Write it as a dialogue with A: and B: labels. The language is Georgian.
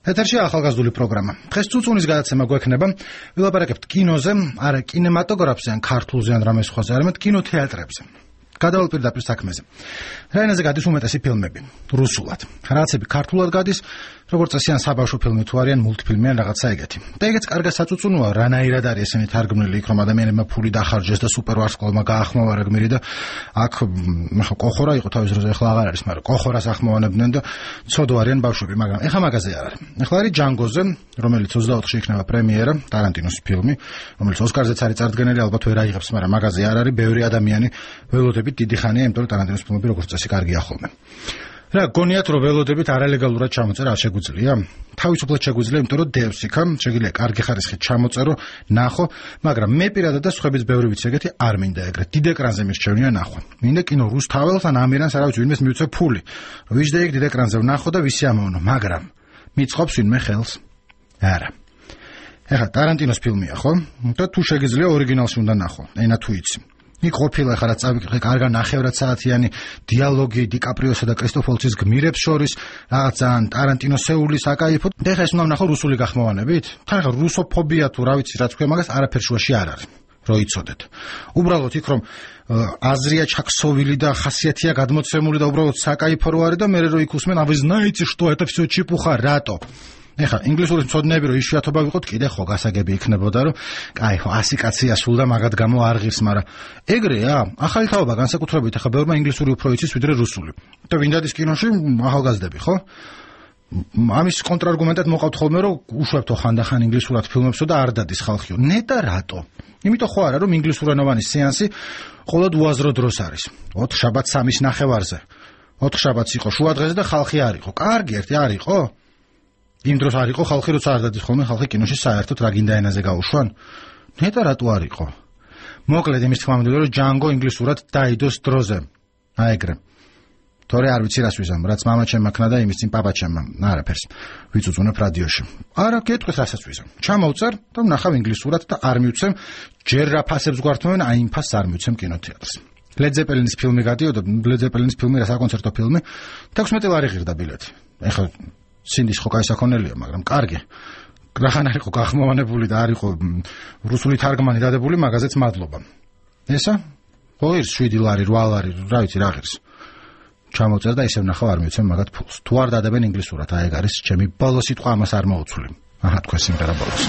A: ეთერში ახალგაზრდული პროგრამა. დღეს წუწუნის გადაცემა გვექნება. ვილაპარაკებთ კინოზე, არა კინემატოგრაფზე ან ქართულზე ან რამე სხვაზე, არამედ კინოთეატრებზე. გადავალ პირდაპირ საქმეზე. რა ენაზე გადის უმეტესი ფილმები? რუსულად. რაღაცები ქართულად გადის, როგორც წესი ან საბავშვო ფილმი თუ არიან მულტფილმი ან რაღაცა ეგეთი. და ეგეც კარგად საწუწუნოა, რანაირად არის ესენი თარგმნილი იქ, რომ ადამიანებმა ფული დახარჯეს და სუპერვარსკვლავმა გაახმოვარა გმირი და აქ კოხორა იყო თავის დროზე, ახლა აღარ არის, მაგრამ კოხორას ახმოვანებდნენ და ცოდო არიან ბავშვები, მაგრამ ეხლა მაგაზე არ არის. ეხლა არის ჯანგოზე, რომელიც 24-ში იქნება პრემიერა, ტარანტინოს ფილმი, რომელიც ოსკარზეც არის წარდგენილი, ალბათ ვერ აიღებს, მაგრამ მაგაზე არ არის, ბევრი ადამიანი ველოდებით დიდი ხანია, იმიტომ რომ ტარანტინოს ფილმები როგორც წესი კარგია ხოლმე. რა გონიათ რომ ველოდებით არალეგალურად ჩამოწერა არ შეგვიძლია? თავისუფლად შეგვიძლია, იმიტომ რომ დევს იქა, შეგიძლია კარგი ხარისხით ჩამოწერო, ნახო, მაგრამ მე პირადად და სხვაებიც ბევრი ვიცი ეგეთი არ მინდა ეგრეთ. დიდ ეკრანზე მირჩევნია ნახვა. მინდა კინო რუსთაველს ან ამირანს არავის ვინმეს მივცე ფული. ვიждე იქ დიდ ეკრანზე ვნახო და ვისი ამოვნო, მაგრამ მიწყობს ვინმე ხელს? არა. ეხლა ტარანტინოს ფილმია, ხო? და თუ შეგიძლია ორიგინალში უნდა ნახო, ენა თუ იცი. იქ ყოფილა ხარ წავიკითხე კარგა ნახევრად საათიანი დიალოგი დიკაპრიოსა და კრისტოფოლცის გმირებს შორის, რაღაც ძალიან ტარანტინოსეული საკაიფო. და ეხლა ეს უნდა ვნახო რუსული გახმოვანებით? თან ხარ რუსოფობია თუ რა ვიცი რაც ქვია, მაგას არაფერ შუაში არ არის. რო იცოდეთ. უბრალოდ იქ რომ აზრია ჩაქსოვილი და ხასიათია გადმოცემული და უბრალოდ საკაიფო რო არის და მე რო იქ უსმენ, а вы знаете, что это всё чепуха, რატო? ეხლა ინგლისურის მცოდნეები რომ იშვიათობა ვიყოთ, კიდე ხო გასაგები იქნებოდა, რომ აი ხო 100 კაცი ასულ და მაგათ გამო არ ღირს, მაგრამ ეგრეა, ახალი თაობა განსაკუთრებით, ახლა ბევრმა ინგლისური უფრო იცის ვიდრე რუსული. და ვინ დადის კინოში? ახალგაზრდები, ხო? ამის კონტრარგუმენტად მოყავთ ხოლმე, რომ უშვებთო ხანდახან ინგლისურად ფილმებსო და არ დადის ხალხიო. ნეტა რატო? იმიტომ ხო არა, რომ ინგლისურენოვანი სეანსი მხოლოდ უაზრო დროს არის. 4 შაბათს 3-ის ნახევარზე. 4 შაბათს იყო შუა დღეზე და ხალხი არ იყო. კარგი ერთი არ იყო? იმ დროს არ იყო ხალხი, როცა არ დადის ხოლმე ხალხი კინოში საერთოდ რა გინდა ენაზე გაუშვან? ნეტა რატო არ იყო? მოკლედ იმის თქმა მინდოდა, რომ ჯანგო ინგლისურად დაიდოს დროზე. აი ეგრე. თორე არ ვიცი რას ვიზამ, რაც მამაჩემ აქნა და იმის წინ პაპაჩემ, არაფერს. ვიწუწუნებ რადიოში. არა, გეტყვით რასაც ვიზამ. ჩამოვწერ და ვნახავ ინგლისურად და არ მივცემ, ჯერ რა ფასებს გვართმევენ, აი იმ ფასს არ მივცემ კინოთეატრს. ლედ ზეპელინის ფილმი გადიოდა, ლედ ზეპელინის ფილმი რა საკონცერტო ფილმი, 16 ლარი ღირდა ბილეთი. ეხლა სინდის ხო კაი საქონელია, მაგრამ კარგი. რახან არ იყო გახმოვანებული და არ იყო რუსული თარგმანი დადებული, მაგაზეც მადლობა. ესა? ღირს 7 ლარი, 8 ლარი, რა ვიცი რა ღირს. ჩამოწერ და ისევ ნახავ არ მივცემ მაგათ ფულს. თუ არ დადებენ ინგლისურად, აი ეგ არის ჩემი ბოლო სიტყვა, ამას არ მოუცვლი. აჰა, თქვენ სიმღერა ბოლოს.